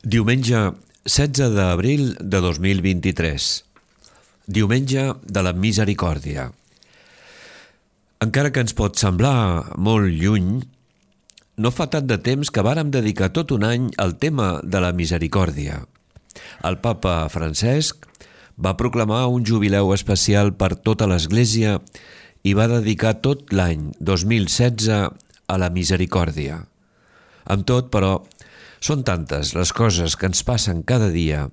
Diumenge 16 d'abril de 2023. Diumenge de la Misericòrdia. Encara que ens pot semblar molt lluny, no fa tant de temps que vàrem dedicar tot un any al tema de la misericòrdia. El papa Francesc va proclamar un jubileu especial per tota l'Església i va dedicar tot l'any 2016 a la misericòrdia. Amb tot, però, són tantes les coses que ens passen cada dia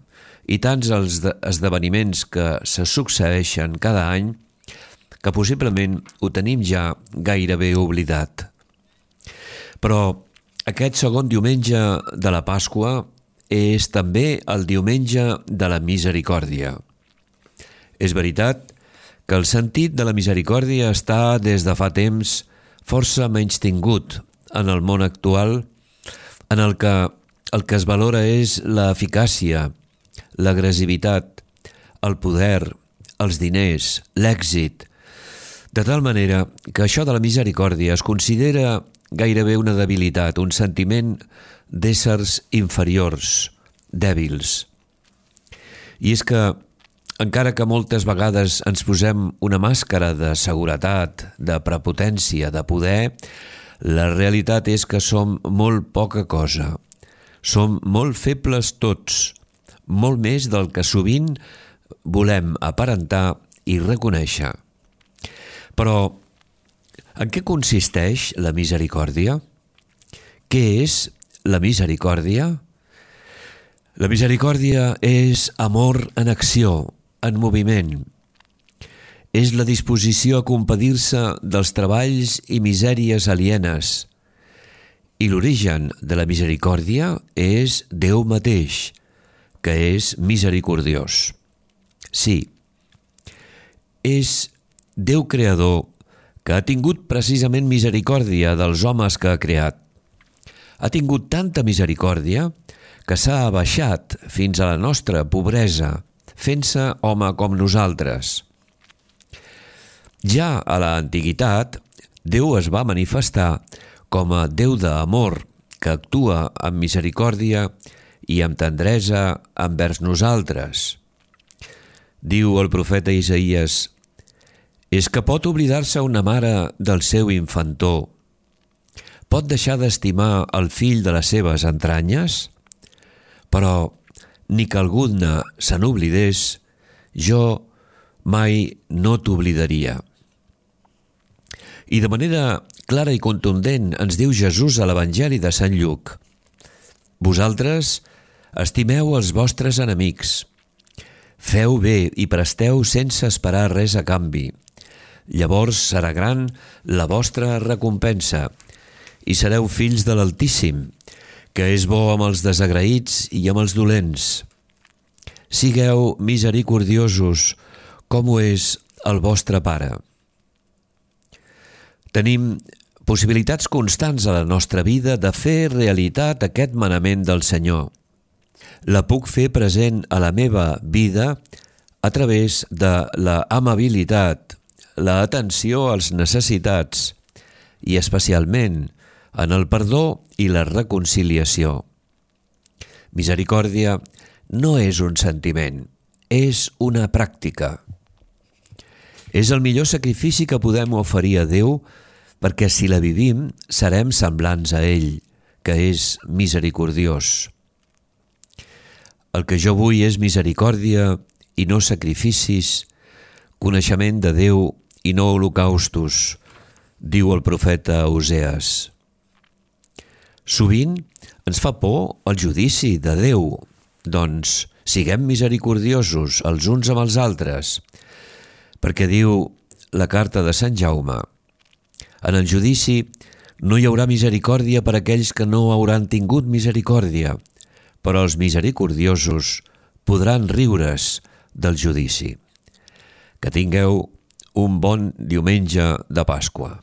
i tants els esdeveniments que se succeeixen cada any que possiblement ho tenim ja gairebé oblidat. Però aquest segon diumenge de la Pasqua és també el diumenge de la misericòrdia. És veritat que el sentit de la misericòrdia està des de fa temps força menystingut en el món actual, en el que es valora és l'eficàcia, l'agressivitat, el poder, els diners, l'èxit, de tal manera que això de la misericòrdia es considera gairebé una debilitat, un sentiment d'éssers inferiors, dèbils. I és que, encara que moltes vegades ens posem una màscara de seguretat, de prepotència, de poder, la realitat és que som molt poca cosa. Som molt febles tots, molt més del que sovint volem aparentar i reconèixer. Però, en què consisteix la misericòrdia? Què és la misericòrdia? La misericòrdia és amor en acció, en moviment. És la disposició a compadir-se dels treballs i misèries alienes. I l'origen de la misericòrdia és Déu mateix, que és misericordiós. Sí, és Déu creador que ha tingut precisament misericòrdia dels homes que ha creat. Ha tingut tanta misericòrdia que s'ha abaixat fins a la nostra pobresa, fent-se home com nosaltres. Ja a l'antiguitat, Déu es va manifestar com a Déu d'amor que actua amb misericòrdia i amb tendresa envers nosaltres. Diu el profeta Isaïes: «És que pot oblidar-se una mare del seu infantó? Pot deixar d'estimar el fill de les seves entranyes? Però, ni que alguna se n'oblidés, jo mai no t'oblidaria». I de manera clara i contundent ens diu Jesús a l'Evangeli de Sant Lluc: «Vosaltres estimeu els vostres enemics, feu bé i presteu sense esperar res a canvi. Llavors serà gran la vostra recompensa i sereu fills de l'Altíssim, que és bo amb els desagraïts i amb els dolents. Sigueu misericordiosos com ho és el vostre Pare». Tenim possibilitats constants a la nostra vida de fer realitat aquest manament del Senyor. La puc fer present a la meva vida a través de l'amabilitat, l'atenció als necessitats i especialment en el perdó i la reconciliació. Misericòrdia no és un sentiment, és una pràctica. És el millor sacrifici que podem oferir a Déu perquè si la vivim serem semblants a ell, que és misericordiós. El que jo vull és misericòrdia i no sacrificis, coneixement de Déu i no holocaustos, diu el profeta Osees. Sovint ens fa por el judici de Déu, doncs siguem misericordiosos els uns amb els altres, perquè diu la carta de Sant Jaume: «En el judici no hi haurà misericòrdia per a aquells que no hauran tingut misericòrdia, però els misericordiosos podran riure's del judici». Que tingueu un bon diumenge de Pasqua.